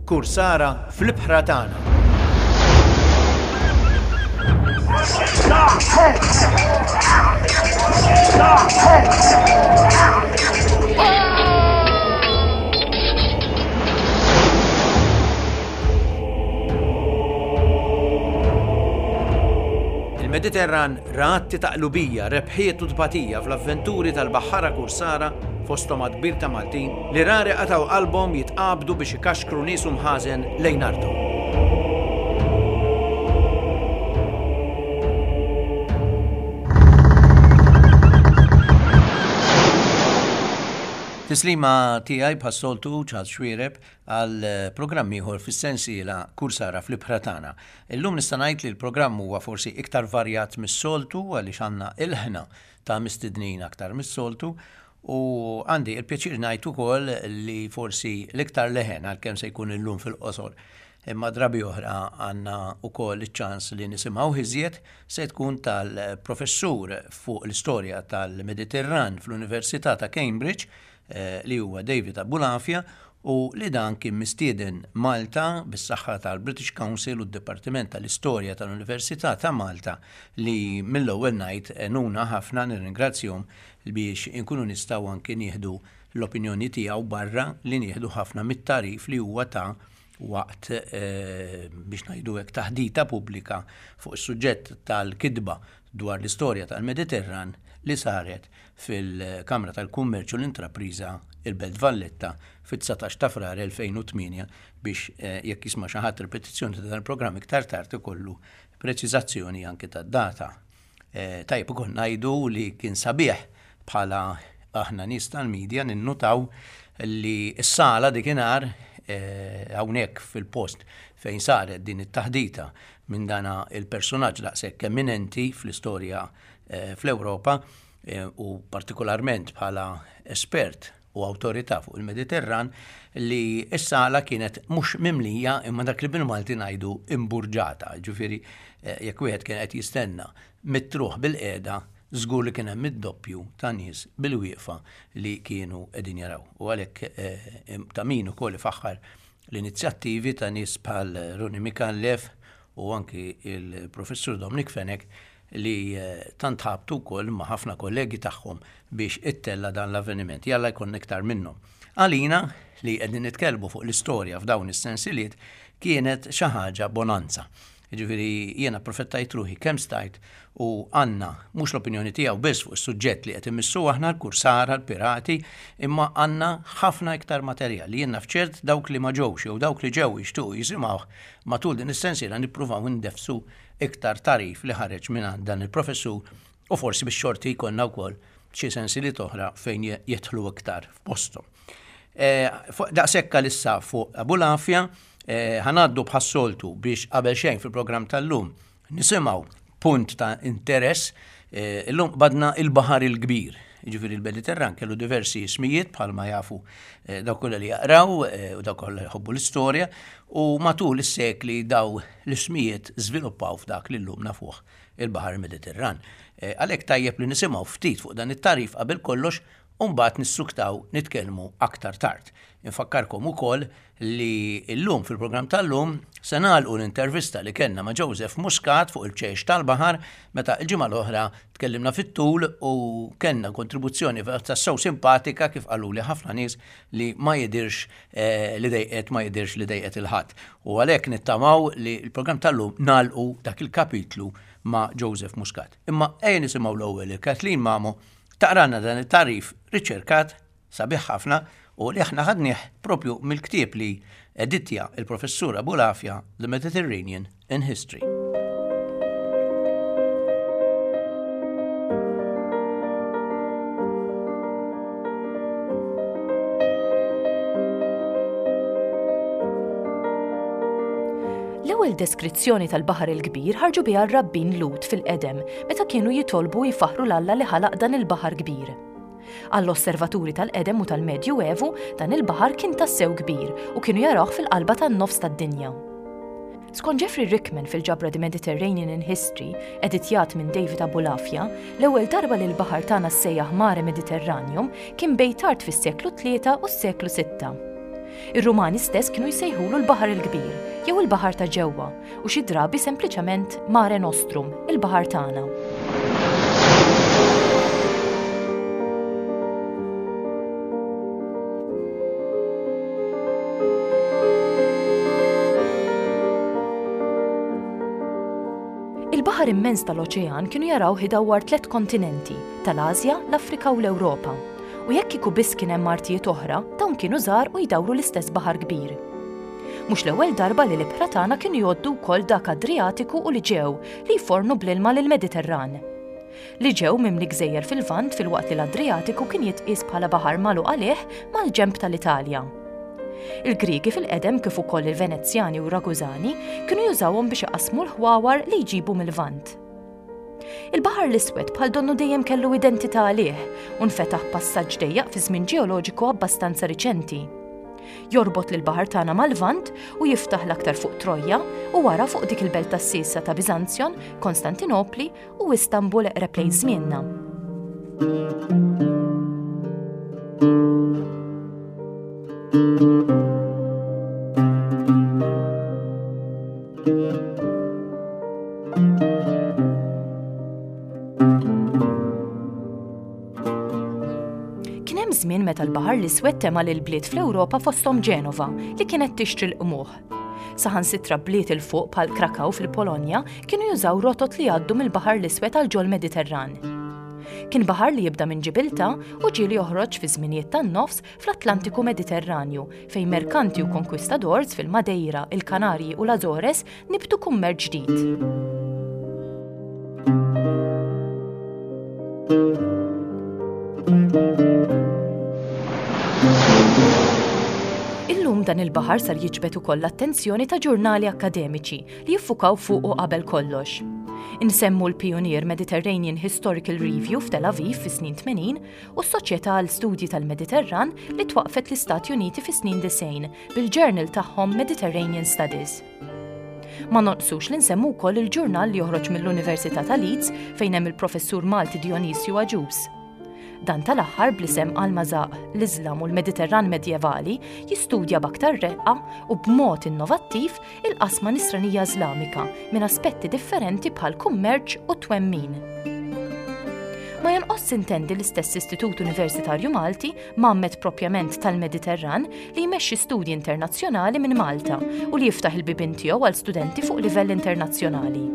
Kursara fl-ibħra tagħna. Il-Mediterran ra atti ta' qlubija, rebħiet u tbatija fl-avventuri tal-baħħara kursara fosthom għadd kbir ta' Maltin li rari qatgħu qalbhom jitqabdu biex ikaxkru nies u mħażen lejn arthom. Tislima tiegħi bħas-soltu Charles Xuereb għal programm ieħor fis-sensiela Kursara fl-Ibħra Tagħna. Illum nista' ngħid li l-programm huwa forsi iktar varjat mis-soltu għaliex għandna ilħna ta' mistednin aktar mis-soltu u għandi l-pjaċir ngħid ukoll li forsi l-iktar leħen għalkemm se jkun illum fil-qosor imma drabi oħra għandna wkoll iċ-ċans li nisimgħuh iżjed se tkun tal-professur fuq l-istorja tal-Mediterran fl-Università ta' Cambridge li huwa David Abulafia u li dan kien mistieden Malta bis-saħħa tal-British Council u d-Dipartiment tal-Istorja tal-Università ta' Malta li mill-ewwel ngħid għenuna ħafna nirringrazzjahom biex inkunu nistgħu anki nieħdu l-opinjoni tiegħu barra li nieħdu ħafna mit-tagħrif li huwa ta waqt biex ngħidu hekk taħdita pubblika fuq is-suġġett tal-kitba dwar l-istorja tal-Mediterran li saret fil-Kamra tal-Kummerċ u l-Intrapriża il-Belt Valletta fit-19 ta' Frar 2008 biex jekk jisma' xi ħadd ripetizzjoni ta' dan il-programm iktar tard ikollu preċiżazzjoni anki tad-data. Tajjeb ukoll ngħidu li kien sabiħ bħala aħna nies tal-media ninnutaw li s-sala dikinhar hawnhekk fil-post fejn saret din it-taħdita minn dana il-personaġġ daqshekk eminenti fl-istorja fl-Ewropa u partikolarment bħala espert u awtorità fuq il-Mediterran li s-sala kienet mhux mimlija imma dak li bil-Malti ngħidu imburġata. Ġifieri jekk wieħed kien qed jistenna mitruħ bil-qiegħda żgur li kien hemm id-doppju ta' nies bil-wieqfa li kienu qegħdin jaraw. U għalhekk ta' min ukoll ifaħħar l-inizjattivi ta' nies bħal Ronnie Micallef u anki il-Professur Dominic Fenech li tant ħabtu wkoll ma' ħafna kollegi tagħhom biex ittella' dan l-avveniment. Jalla jkollna iktar minnhom. Għalina li qegħdin nitkellmu fuq l-istorja f'dawn is-sensiliet kienet xi ħaġa bonanza. Jiġifieri jiena approfettajt ruħi kemm stajt u għandna mhux l-opinjoni tiegħu biss fuq is-suġġett li qed immissu aħna l-kursara, l-pirati, imma għandna ħafna iktar materjal li jien naf ċert dawk li ma ġewx jew dawk li ġew jixtiequ jisimgħuh matul din is-sensiela nippruvaw indeffsu iktar tagħrif li ħareġ mingħand dan il-professur u forsi bix-xorti jkollna wkoll xi sensiliet oħra fejn jidħlu iktar f'posthom. Eh, daqshekk għalissa fuq Abulafja, eh, ħanaddu bħas-soltu biex qabel xejn fil-programm tal-lum nisimgħu punt ta' interess eh, illum badna il-Baħar il-Kbir. Ġifieri il-Mediterran kellu diversi ismijiet bħalma jafu dawk kollha li jaqraw u dawk kollha jħobbu l-istorja u matul is-sekli daw l-ismijiet żviluppaw f'dak li llum nafuh il-Baħar Mediterran. Għalhekk tajjeb li nisimgħu ftit fuq dan it-tagħrif qabel kollox u mbagħad nissuktaw nitkellmu aktar tard. Infakkarkom ukoll li llum fil-programm tal-lum se nagħlqu l-intervista li kellna ma' Joseph Muscat fuq il-ċejx tal-baħar meta l-ġimgħa l-oħra tkellimna fit-tul u kellna kontribuzzjoni tassew simpatika kif qaluli ħafna nies li ma jidirx eh, li dejqet ma jidirx li dejqet il-ħadd. U għalhekk nittamaw li l-programm tal-lum nagħlqu dak il-kapitlu ma' Joseph Muscat. Imma ejja nisimgħu l-ewwel il-Kathleen Mamo taqralna dan it-tagħrif riċerkat sabiħ ħafna u li aħna ħadnieh propju mill-ktieb li editja il-Professur Abulafia The Mediterranean in History. L-ewwel deskrizzjoni tal-Baħar il-Kbir ħarġu biha r-rabbin Lhud fil-qedem meta kienu jitolbu u jfaħħru 'l Alla li ħalaq dan il-baħar kbir. Għall-osservaturi tal-qedem u tal-Medju Evu, dan il-baħar kien tassew kbir u kienu jarawh fil-qalba tan-nofs tad-dinja. Skont Jeffrey Rickman fil-ġabra The Mediterranean in History, editjat minn David Abulafia, l-ewwel darba li l-baħar tagħna ssejjaħ Mare Mediterraneum kien bejn tard fis-seklu tlieta u s-seklu sitta. Ir-Rumani stess kienu jsejħulu l-Baħar il-Kbir jew il-Baħar ta' Ġewwa u xi drabi sempliċement Mare Nostrum, il-Baħar tagħna. Il-baħar immens tal-oċean kienu jarawh idawwar tlett kontinenti, tal-Asja, l-Afrika u l-Ewropa. U jekk kieku biss kien hemm artijiet oħra, dawn kienu żgħar u jdawru l-istess baħar kbir. Mhux l-ewwel darba li l-ibħra tagħna kienu jgħoddu wkoll dak Adrijatiku u l-Iġew li jfornu bl-ilma lill-Mediterran. L-Iġew mimli gżejjer fil-Lvant filwaqt li l-Adrijatiku kien jitqies bħala baħar magħluq għalih mal-ġenb tal-Italja. Il-Griegi fil-qedem kif ukoll il-Venezjani u r-Ragużani kienu jużawhom biex iqassmu l-ħwawar li jġibu mil-Lvant. Il-Baħar l-Iswed bħal donnu dejjem kellu identità għalih u nfetaħ passaġġ dejjaq fi żmien ġeoloġiku abbastanza riċenti. Jorbot lill-baħar tagħna mal-Lvant u jiftaħ l-aktar fuq Trojja u wara fuq dik il-belt tas-siesa ta' Biżanzjon, Konstantinopli u Istanbul eqreb lejn żmienna. Kien hemm żmien meta l-Baħar l-Iswed tema' lil bliet fl-Ewropa fosthom Ġenova li kienet tixtri l-qmuħ. Saħansitra bliet 'il fuq bħal Krakow fil-Polonja kienu jużaw rotot li jgħaddu mill-Baħar l-Iswed għal ġol-Mediterran. Kien baħar li jibda minn Ġibiltà u ġieli joħroġ fi żminijiet tan-nofs fl-Atlantiku Mediterranju fejn merkanti u konkwistadors fil-Madeira, il-Kanarji u l-Azores nibtu kummerċ ġdid. Illum dan il-baħar sar jiġbed ukoll l-attenzjoni ta' ġurnali akkademiċi li jiffukaw fuqu qabel kollox. Insemmu l-pijunier Mediterranean Historical Review f'Tel Aviv fis-snin 80 u s-Soċjetà għal Studji tal-Mediterran li twaqqfet l-Istati Uniti fis-snin 90 bil-journal tagħhom Mediterranean Studies. Ma nonqsux li nsemmu wkoll il-ġurnal li joħroġ mill-Università ta' Leeds fejn hemm il-professur Malti Dionisju Agius. Dan tal-aħħar bl-isem Al-Mazaq, l-Iżlam u l-Mediterran Medjevali jistudja b'aktar reqqa u b'mod innovattiv il-qasma Nisranija Iżlamika minn aspetti differenti bħal kummerċ u twemmin. Ma jonqos intendi l-istess Istitut Universitarju Malti, mgħammed propjament tal-Mediterran, li jmexxi studji internazzjonali minn Malta u li jiftaħ il-bibien tiegħu għal studenti fuq livell internazzjonali.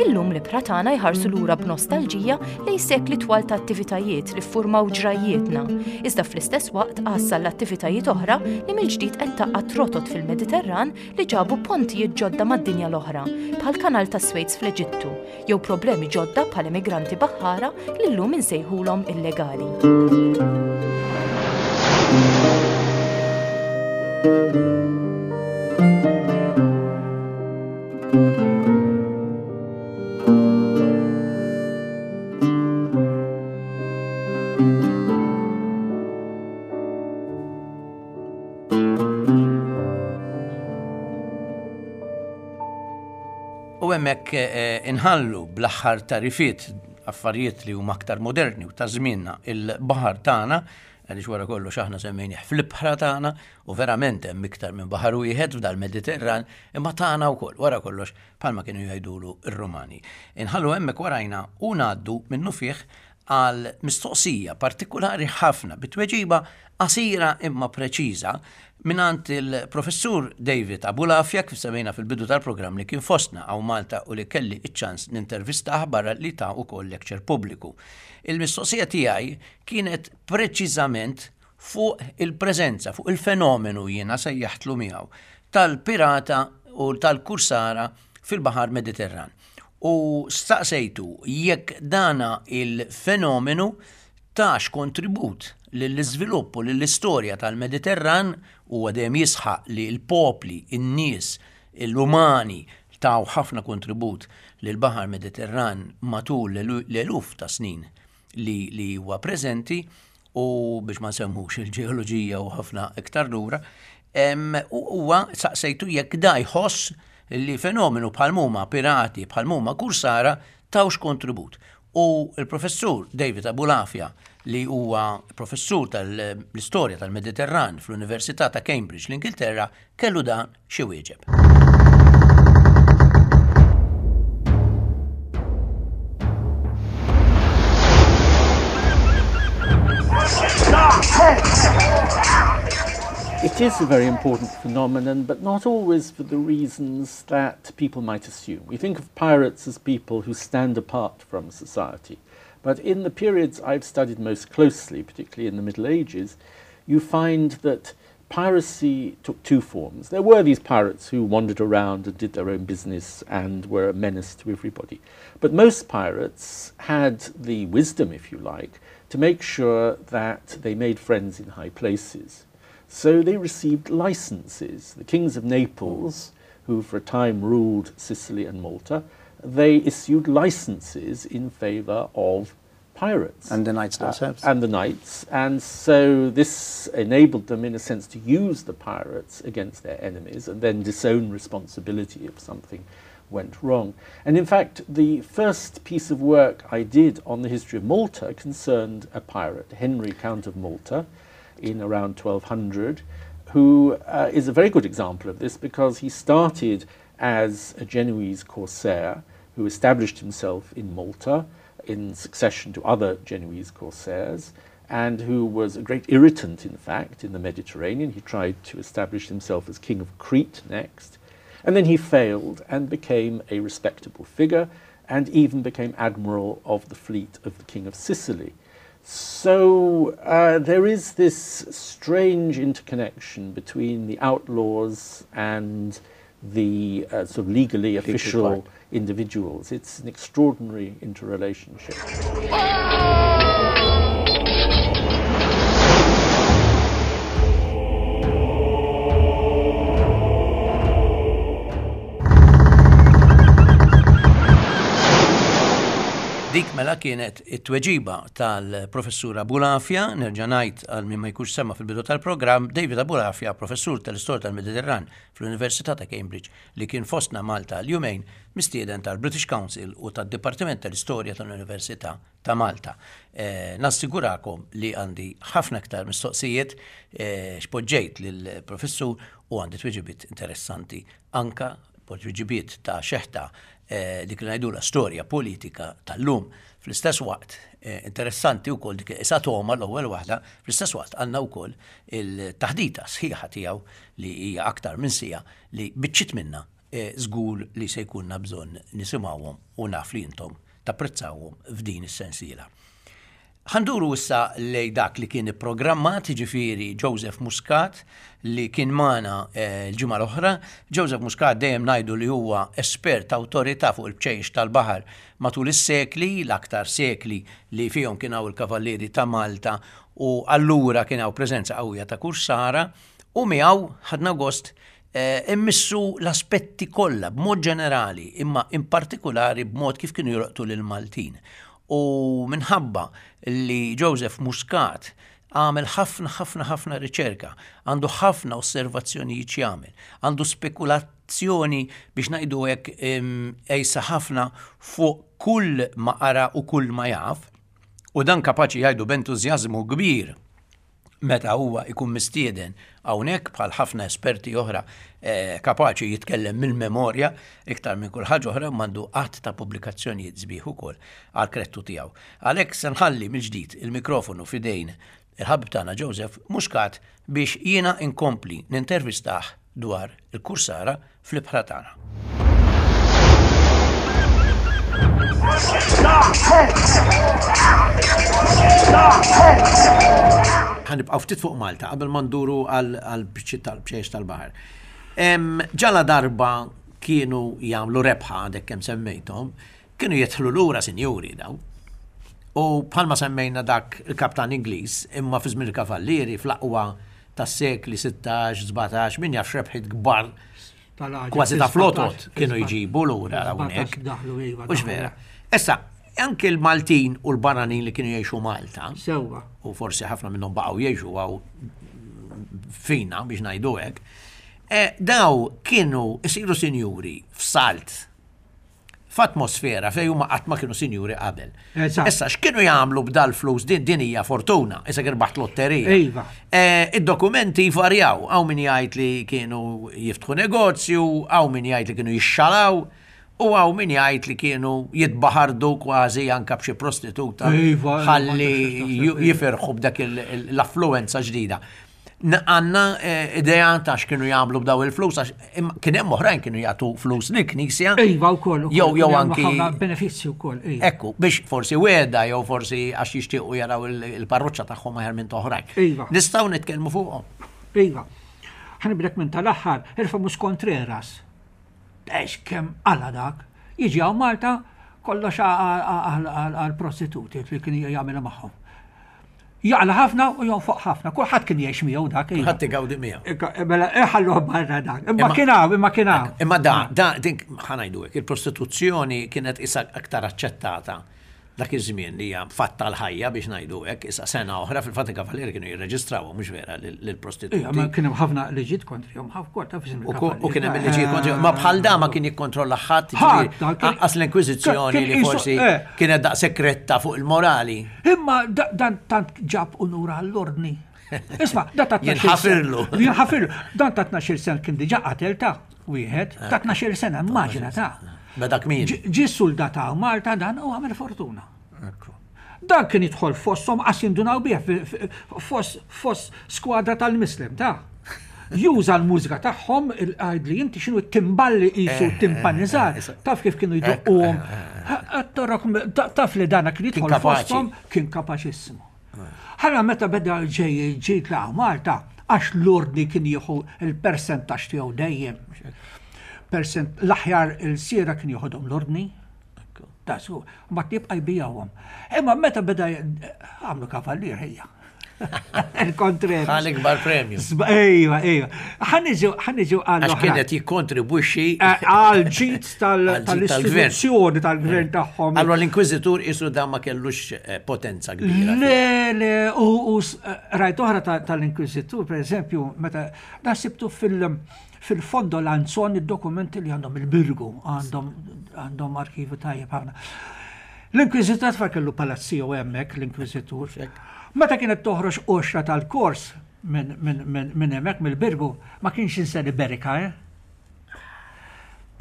Illum l-ibħra tagħna jħarsu lura b'nostalġija lejn sekli twal ta' attivitajiet li ffurmaw ġrajjietna, iżda fl-istess waqt għassa l-attivitajiet oħra li mill-ġdid qed tgħaqqad rotot fil-Mediterran li ġabu pontijiet ġodda mad-dinja l-oħra, bħall-Kanal ta' Swejz fl-Eġittu, jew problemi ġodda bħal emigranti baħħara li llum insejħulhom illegali. U hemmhekk eh, inħallu bl-aħħar tarifiet affarijiet li huma aktar moderni u ta' żmienna il-baħar tagħna għaliex wara kollox aħna semmejnih fl-ibħra tagħna u verament hemm iktar minn baħar wieħed f'dal-Mediterran imma tagħna wkoll wara kollox bħalma kienu jgħidulu r-Rumani. Inħallu hemmhekk warajna u ngħaddu minnufih għal mistoqsija partikulari ħafna bi tweġiba qasira imma preċiża mingħand il-Professur David Abulafia kif semmejna fil-bidu tal-programm li kien fostna hawn Malta u li kelli ċ-ċans nintervistah barra li ta wkoll lecture pubbliku. Il-mistoqsija tiegħi kienet preċiżament fuq il-preżenza, fuq il-fenomenu jiena sejjaħtlu miegħu, tal-pirata u tal-kursara fil-Baħar Mediterran. U staqsejtu jekk dana il-fenomenu tax kontribut lill-iżvilupp u lill-istorja tal-Mediterran, huwa dejjem jisħaq li l-popli, in-nies, l-umani taw ħafna kontribut lill-Baħar Mediterran matul l-eluf ta' snin li, li huwa preżenti. u biex ma nsemmux il-ġeoloġija u ħafna iktar lura, u huwa saqsejtu jekk da jħoss li fenomenu bħal mhuma pirati, bħal mhuma kursara tawx kontribut. U l-professur David Abulafia li huwa professur tal-istorja tal-Mediterran fl-Università ta' Cambridge l-Ingilterra kellu dan xi wieġeb. It is a very important phenomenon, but not always for the reasons that people might assume. We think of pirates as people who stand apart from society. But in the periods I've studied most closely, particularly in the Middle Ages, you find that piracy took two forms. There were these pirates who wandered around and did their own business and were a menace to everybody. But most pirates had the wisdom, if you like, to make sure that they made friends in high places. So they received licenses. The kings of Naples, who for a time ruled Sicily and Malta, they issued licenses in favor of pirates. And the knights themselves. Uh, and the knights. And so this enabled them, in a sense, to use the pirates against their enemies and then disown responsibility if something went wrong. And in fact, the first piece of work I did on the history of Malta concerned a pirate, Henry, Count of Malta, in around 1200, who uh, is a very good example of this because he started as a Genoese corsair who established himself in Malta in succession to other Genoese corsairs and who was a great irritant, in fact, in the Mediterranean. He tried to establish himself as king of Crete next. And then he failed and became a respectable figure and even became admiral of the fleet of the King of Sicily. So uh, there is this strange interconnection between the outlaws and the uh, sort of legally official individuals. It's an extraordinary interrelationship. Dik mela kienet it-tweġiba tal-professur Abulafia, nerġa' ngħid għal min ma jkunx sema fil-bidu tal-programm, David Abulafia, professur tal-Istorja tal-Mediterran fl-Università ta' Cambridge, li kien fostna Malta għal jumejn, mistieden tal-British Council u tad-Dipartiment tal-Istorja tal-Università ta' Malta. Eh, nassigurakom li għandi ħafna iktar mistoqsijiet eh, xpoġġejt lill-professur u għandi tweġibiet interessanti anka tweġibiet ta' xeħta eh, dik li ngħidula storja politika tal-lum. Fl-istess waqt, interessanti wkoll dik isa toma l-ewwel waħda, fl-istess waqt għandna wkoll il-taħdita sħiħa tiegħu li hija aktar minn sija li biċċiet minna żgur li se jkunna bżonn nisimgħuhom u naf li intom tapprezzawhom f'din is-sensiela. Ħa nduru issa lejn dak li kien ipprogrammat, jiġifieri Joseph Muscat li kien magħna l-ġimgħa l-oħra. Joseph Muscat dejjem ngħidu li huwa espert awtorità fuq il-bċejjex tal-baħar matul is-sekli, l-aktar sekli li fihom kien hawn il-Kavallieri ta' Malta u allura kien hawn preżenza qawwija ta' kursara u miegħu ħadna gost Immissu l-aspetti kollha b'mod ġenerali imma in partikulari b'mod kif kienu jolqtu lill-Maltin. U minħabba li Joseph Muscat għamel ħafna ħafna ħafna riċerka, għandu ħafna osservazzjonijiet x'jagħmel, għandu spekulazzjoni biex ngħidu hekk qejsa ħafna fuq kull ma qara u kull ma jaf, u dan kapaċi jgħidu b'entużjażmu kbir meta huwa jkun mistieden hawnhekk bħal ħafna esperti oħra eh, kapaċi jitkellem mill-memorja iktar minn kull ħaġa oħra m'għandu qatt ta' pubblikazzjonijiet sbieħ ukoll għal krettu tiegħu. Għalhekk se nħalli mill-ġdid il-mikrofonu f'idejn il-ħabib tagħna Joseph Muscat biex jiena inkompli nintervistah dwar il-kursara fl-ibħra tagħna. Ħanibqgħu ftit fuq Malta qabel ma nduru għal biċċiet tal-bċejjex tal-baħar. Ġala darba kienu jagħmlu rebħa għadek kemm semmejthom, kienu jidħlu lura sinjuri daw. U bħalma semmejna dak il-kaptan Ingliż, imma fi żmien il-Kavallieri fl-aqwa tas-sekli 16, 17, min jaf x'rebħiet kbar kważi ta' flotot kienu jġibu lura hawnhekk. Iva, Mhux vera. Issa, Anke l-Maltin u l-barranin li kienu jgħixu Malta. Sewwa. U forsi ħafna minnhom baqgħu jgħixu għaw fina biex ngħidu hekk. Eh, daw kienu isiru sinjuri f'salt f'atmosfera fejn huma qatt ma kienu sinjuri qabel. Issa x'kienu jagħmlu b'dal-flus din din hija fortuna, issa irbaħt lotterija. Iva. Eh, id-dokumenti jvarjaw, hawn min jgħid li kienu jiftħu negozju, hawn min jgħid li kienu jixxalaw, u hawn min jgħid li kienu jitbaħardu kważi anka b'xi prostituta iva, iva, ħalli jifirħu b'dak l-affluenza ġdida. Għanna eh, idea ta' x'kienu jagħmlu b'daw il-flus, għax kien hemm oħrajn kienu jagħtu flus lill-Knisja. Iva wkoll. Jew jew anki benefizzju wkoll. Iva. Ekku, biex forsi weda jew forsi għax jixtiequ jaraw il-parroċċa tagħhom aħjar minn oħrajn. Iva. Nistgħu nitkellmu fuqhom. Iva. Ħanibdek minn tal-aħħar, il-famuż Contreras. Ex kemm qala dak. Jiġi hawn Malta kollox għal prostituti li kien jagħmilha magħhom. Jaqla ħafna u jonfoq ħafna. Kulħadd kien jgħix miegħu dak. Iva. Ħadd igawdi miegħu. Mela iħalluh barra dak. Imma kien hawn, imma kien hawn. Imma da, da, din ħanajdu hekk, il-prostituzzjoni kienet isa aktar aċċettata dak iż-żmien li hija fatt tal-ħajja biex ngħidu hekk, issa sena oħra fil-fatt il-kavalieri kienu jirreġistrawhom mhux vera lill-prostituti. Ija, ma kien hemm ħafna liġijiet kontrihom, ħafna taf iżin U kien hemm il-liġijiet kontrihom, ma bħal da ma kien jikkontrolla ħadd, anqas l-Inkwiżizzjoni li forsi eh. kienet daqshekk retta fuq il-morali. Imma dan tant ġab unur għall-ordni. Isma, da ta' Jinħafirlu. Jinħafirlu. Dan ta' 12 sen kien diġa qatel ta' wieħed, ta' 12 sena, immaġina ta' Beda kmin. Ġi soldat ta' Malta dan u għamel fortuna. Dan kien jidħol fosthom qas jindunaw bih fost skwadra tal-Mislem ta' juża l-mużika tagħhom għajd li inti x'inhu t-timballi qisu eh, timpanizzar, eh, eh, taf kif kienu jdoqquhom. Torok taf li dana kien jidħol fosthom kien kapaċissimu. Ħalla meta beda ġej ġejt la Malta għax l-ordni kien jieħu il-persentaġġ tiegħu dejjem. Persent l-aħjar il-siera kien jieħodhom l-ordni. Ta' su, ma tibqa' jbijawhom. Imma meta beda għamlu kavallier ħejja. Il-kontreri. Għal ikbar premju. Ejwa, ejwa. Ħaniġu, ħaniġu għal. Għax kienet jikkontribwixxi. Eh, għal ġid tal-istituzzjoni tal-gvern eh. tagħhom. Allora l-inkwiżitur isu dan ma kellux eh, potenza kbira. Le, le, u rajt oħra tal-inkwiżitur, per eżempju, meta da sibtu fil- fil-fondo lanzon id-dokumenti li għandhom il-Birgu, għandhom arkivu tajjeb ħafna. L-Inkwiżitur tfal kellu palazz tiegħu hemmhekk l-Inkwiżitur. Meta kienet toħroġ qoxra tal-kors minn hemmhekk mill-Birgu, ma kienx jinsa Berika, eh?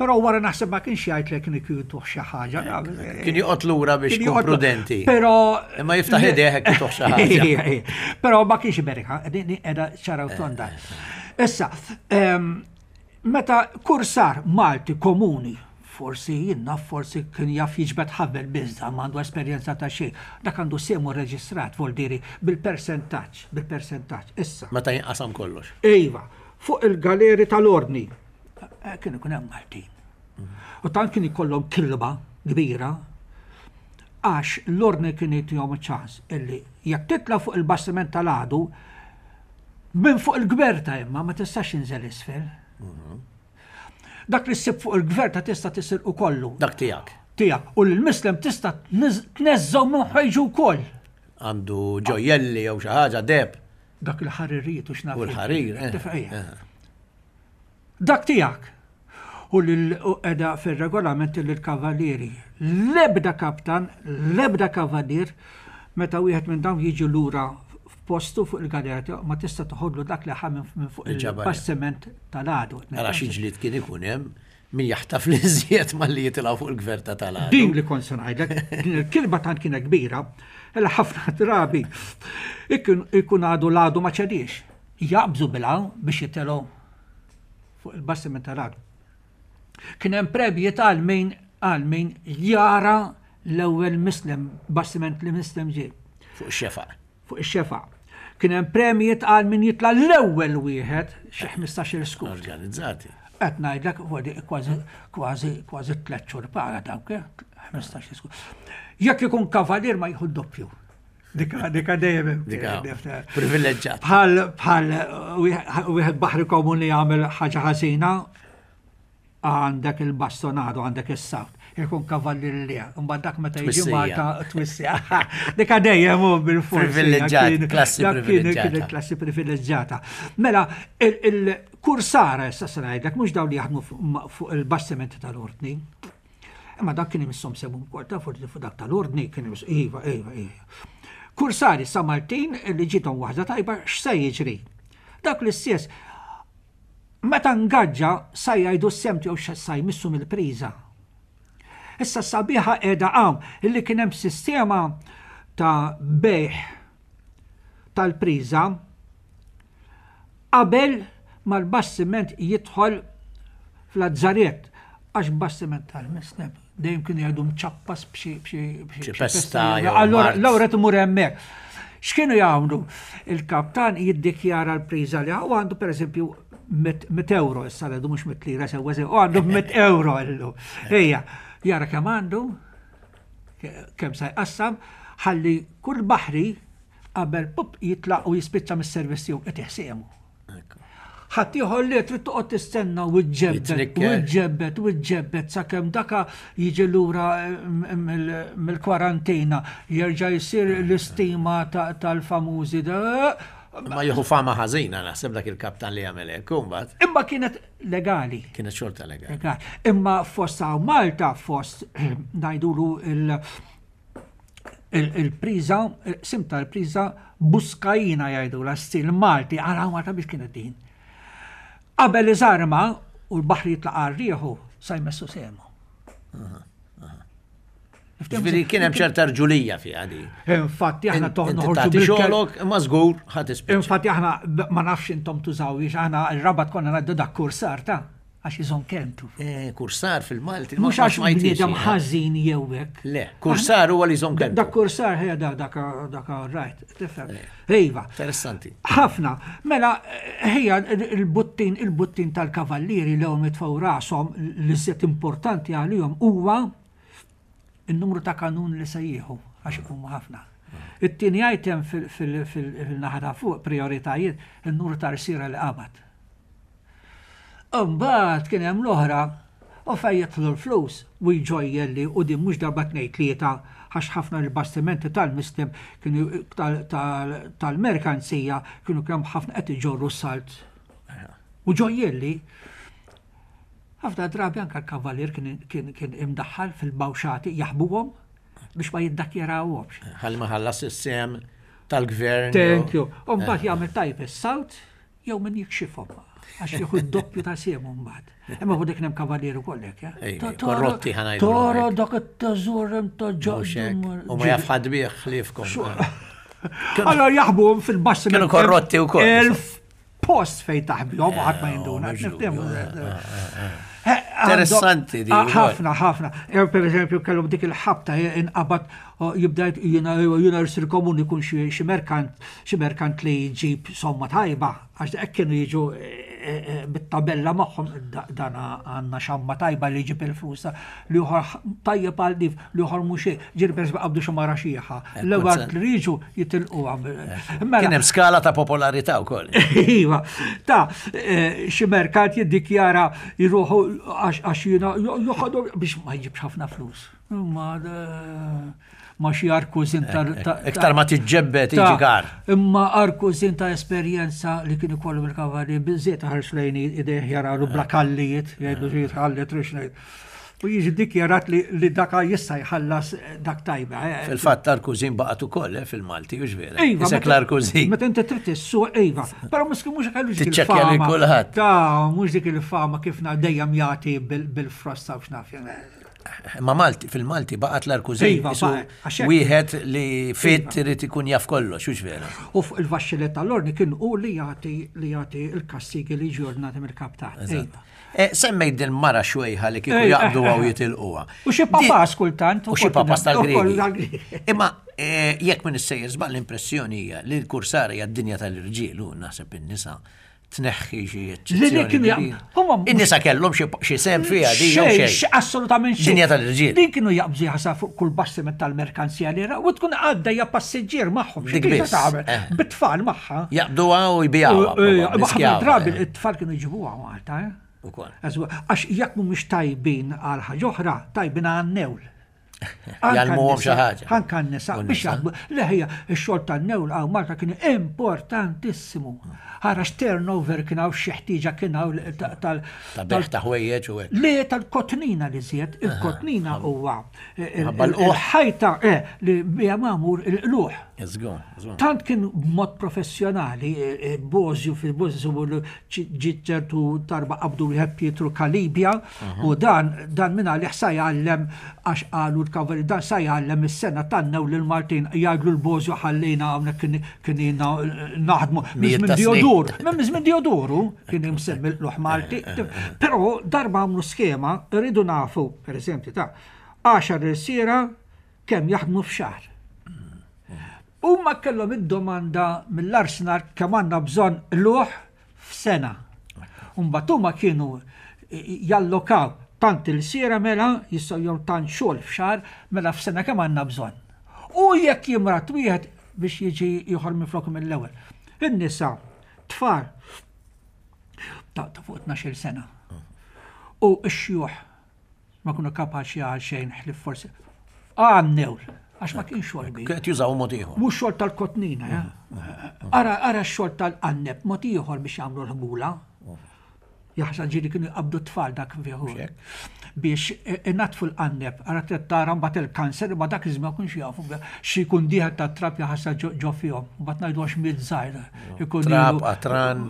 Però wara naħseb ma kienx jgħid li kien ikun xi ħaġa. Kien joqgħod lura biex ikun prudenti. Però imma jiftaħ idejh hekk ituh xi ħaġa. Però ma kienx Berika, din qiegħda ċara u tonda. Issa, meta kursar Malti komuni, forsi jiena forsi kien jaf jiġbed ħabel biżda, ma għandu esperjenza ta' xejn. Dak għandu semu reġistrat, voldiri, bil-persentaġġ, bil-persentaġġ. Issa. Meta jinqasam kollox. Iva, fuq il-galeri tal-ordni, eh, kien ikun hemm Maltin. U tant kien ikollhom kilba kbira għax l-ordni kien jtihom ċans illi jekk titla' fuq il-bastiment tal-għadu minn fuq il-gverta imma ma tistax inżel isfel. Dak li ssib fuq il-gverta tista' tisirqu kollu. Dak tiegħek. Tiegħek. U l-mislem tista' tneżżgħu minn ħwejġu wkoll. Għandu ġojjelli jew xi ħaġa deb. Dak il-ħaririjiet u x'naf. U l-ħarir. Eh. Eh. Dak tiegħek. U l-edha fil-regolament li l-kavalieri. L-ebda kaptan, l-ebda kavalier, meta wieħed minn dawn jiġi lura f'postu fuq il-galera tiegħu ma tista' toħodlu dak li ħa minn fuq il-bastiment tal-għadu. Ara xi ġlied kien ikun hemm min jaħtaf li żjed malli jitilgħu fuq il-gverta tal-għadu. Din li kont se ngħidlek, din il-kilba tant kienet kbira, illa ħafna drabi ikun għadu l-għadu ma ċediex. Jaqbżu bil-għaw biex jitilgħu fuq il-bastiment tal-għadu. Kien hemm premjiet għal min għal min jara l-ewwel mislem, bastiment li mislem ġie. Fuq ix-xefaq. Fuq ix-xefaq. Kien hemm premjiet għal min jitla' l-ewwel wieħed xi 15-il skut. Organizzati. Qed ngħidlek kważi kważi kważi tliet xhur paga dawk, 15-il skut. Jekk ikun kavalier ma jieħu doppju. Dika, dika dejjem. Dika privileġġat. Bħal bħal wieħed baħri komuni jagħmel ħaġa ħażina għandek il-bastonado, għandek is-sawt. Ikun kavallier li, imbagħad dak meta jiġi Malta twissija. Dik dejjem hu bil-forsi. Privileġġjat, klassi privileġġjata. Kienet klassi privileġġjata. Mela, il-kursara issa se ngħidlek mhux dawn li jaħdmu fuq il-bastimenti tal-ordni. Imma dak kien imisshom semu wkoll ta' forsi fuq dak tal-ordni kien imiss iva, iva, iva. Kursari sa Maltin li ġiethom waħda tajba x'se jiġri? Dak l-istess Meta ngaġġa sa jgħidu s-sehem tiegħu x'sa jmissu mill-priża. Issa s-sabiħa qiegħda hawn illi kien hemm sistema ta' bejgħ tal-priża qabel ma l-bastiment jidħol fl-azzarett għax bastiment tal-misneb dejjem kienu jgħidu mċappas b'xi pesta. Allora l-ewwel imur hemmhekk. X'kienu jagħmlu? Il-kaptan jiddikjara l-priża li u għandu pereżempju 100 euro issa l mhux 100 lira sewwa sew, u għandu 100 euro illu. Ejja, jara kemm għandu, kemm sa jqassam, ħalli kull baħri qabel pup jitlaq u jispiċċa mis-servizz tiegħu qed iħsiemu. Ħaddieħor li trid toqgħod tistenna u ġġebbed u ġġebbed u ġġebbed sakemm daka jiġi lura eh, mill-kwarantina jerġa' jsir l-istima tal-famużi. Ma jieħu fama ħażina naħseb dak il-kaptan li jagħmel hekk imbagħad. Imma kienet legali. Kienet xorta legali. Imma fost Malta fost ngħidulu il- il-priża, sim tal-priża buskajina jgħidu la stil Malti, għara Malta biex kienet din. Qabel iżarma u l-baħri jitlaq għarrieħu sa jmessu semu. Ġifieri kien hemm ċerta rġulija fiha di. Infatti aħna toħroġu bil-xogħlok imma żgur ħadd ispiċċa. Infatti aħna ma nafx intom tużawiex aħna r-rabat konna ngħaddu dak kursar ta' Għax iżomm kelmtu. Eh, kursar fil-Malti. Mhux għax bniedem ħażin jew hekk. Le, kursar huwa li jżomm kelmtu. Dak kursar ħejja dak dak dak right, tifhem. Eh. Iva. Interessanti. Ħafna. Mela ħejja il-buttin il-buttin tal-kavallieri li hom jitfgħu rashom li żied importanti għalihom huwa in-numru ta' kanun li se jieħu għax huma ħafna. It-tieni item fil-naħa ta' fuq prioritajiet in-numru ta' rsira li qabad. Imbagħad kien hemm l-oħra, u fejn jidħlu l-flus, u jġojjelli u din mhux darba tnejn tlieta għax ħafna mill-bastimenti tal-Muslim kienu tal-merkanzija kienu kemm ħafna qed iġorru s-salt. U ġojjelli ħafna drabi anke l-kavalier kien imdaħħal fil-bawxati jaħbuhom biex ma jiddakjarawhomx. Ħalli ma ħallas is-sehem tal-gvern. Thank you. U mbagħad jagħmel tajb is-salt Jew min jikxifhom, għax jieħu d-doppju ta' sehemu mbagħad. Imma fuq dik hemm kavalier ukoll hekk, eh? Korrotti ħa ngħidu. Toro dak it-teżur hemm ta' ġoddu. U ma jaf ħadd bih ħliefkom. Allora jaħbuhom fil-bassi. Kienu korrotti wkoll. Elf post fejn taħbihom u ħadd ma jinduna. Interessanti di. Ħafna, ħafna. Per eżempju, kellhom dik il-ħabta inqabad jibda jiena jiena rsir komuni jkun xi merkant xi merkant li jġib somma tajba, għax hekk kienu jiġu eh, eh, bit-tabella magħhom dan għandna xamma tajba li jġib il-flus li uħor tajjeb għal dif li uħor mhux hekk, ġieli pereżempju qabdu xi mara xieħa. L-ewwel li jiġu jitilqu Mela Kien hemm skala ta' popolarità wkoll. Iva, ta' eh, xi merkant jiddikjara jruħu għax jiena joħodhom biex ma jġibx ħafna flus. Imma ma xi arkużin ta' Iktar ma tiġġebbed jiġi kar. Imma arkużin ta' esperjenza li kien ikollu bil-kavalli biżżejjed ħares lejn idejh jaralu bla kallijiet, jgħidu xi jitħalli trix ngħid. U jiġi dikjarat li daka jista' jħallas dak tajba. Eh. Fil-fatt l-arkużin baqgħet ukoll eh, fil-Malti, u vera. Iva, Isek l-arkużin. Meta inti trid issuq, iva. Però miskin mhux kellu dik il-fama. kulħadd. Ta' mhux dik il-fama kif dejjem jagħti bil-frosta u x'naf. Ma Malti, fil-Malti baqgħet l-arkużin. Iva, wieħed li fit iva. irid ikun jaf kollox, hux vera. U fuq il-vaxxilet tal-orni kien hu li jagħti li jagħti l-kastigi li jiġu ordnati mill-kaptan. Iva. Eh, semmejt din mara xwejħa li kieku eh, jaqbdu għaw eh, jitilquha. U xi papas kultant. U xi papas tal-Griegi. Imma jekk minn issejjer żball l-impressjoni hija li l-kursara hija d-dinja tal-irġiel u naħseb in-nisa tneħħi xi eċċezzjoni. In-nisa kellhom xi sehem fiha di jew xejn. Assolutament xejn. Dinja tal-irġiel. Din kienu jaqbżu jaħsab fuq kull bastiment tal-merkanzija li u tkun għaddejja passiġġier magħhom. Dik biss. Eh. Bit-tfal magħha. Jaqbduha u jbijawha. Eh, ħafna drabi it-tfal kienu jġibuha Malta. Eh. Ukoll. Għax jekk mhumiex tajbin għal ħaġa oħra, tajbin għan-newl. Jgħallmuhom xi ħaġa. Anka n-nisa biex jaħdmu. Le ħija, x-xogħol tan-newl hawn Malta kien importantissimu. Ara x-turnover kien hawn xi ħtieġa kien hawn tal. Ta' beħ ta' ħwejjeġ u hekk. Le tal-kotnina li żjed, il-kotnina huwa il-ħajta eh, li biha magħmur il-qluħ. Tant kien b'mod professjonali, eh, eh, Bozju fil-Bozju ġiet ċertu darba qabdu wieħed Pietru Calibia u dan dan minn għalih sa jgħallem għax qalu l-kavalier dan sa jgħallem is-sena tannew lil Maltin jgħidlu l-Bożju ħallejna hawnhekk kien ilna naħdmu minn żmien Diodur minn żmien Diodoru kien imsemmi l-qluħ Malti però darba għamlu skema rridu nafu pereżempju ta' għaxar irsiera kemm jaħdmu f'xahar. Huma kellhom id-domanda mill-Arsenal kemm għandna bżonn qlugħ f'sena. Mbagħad huma kienu jallokaw tant ilsiera mela jistgħu jew tant xogħol f'xahar mela f'sena kemm għandna bżonn. U jekk jimrad wieħed biex jiġi ieħor minflok mill-ewwel. In-nisa, tfal ta' fuq 12-il sena. U x-xjuħ Ma kienu kapaċi għal xejn ħlief forsi għannew, għax ma kienx xogħol kbir. Qed jużaw mod ieħor. Mhux xogħol tal-kotnina, eh? Ara ara x-xogħol tal-qanneb mod ieħor biex jagħmlu l-ħbula. Jaħseb ġieli kienu jqabdu t-tfal dak fih biex inatfu l-qanneb, ara trid tara mbagħad il-kanser imma dak iż-żmien ma kienx jafu xi jkun dieħel ta' trab jaħasra ġo fihom. Mbagħad ngħidu għax miet żgħir. Trab, qatran.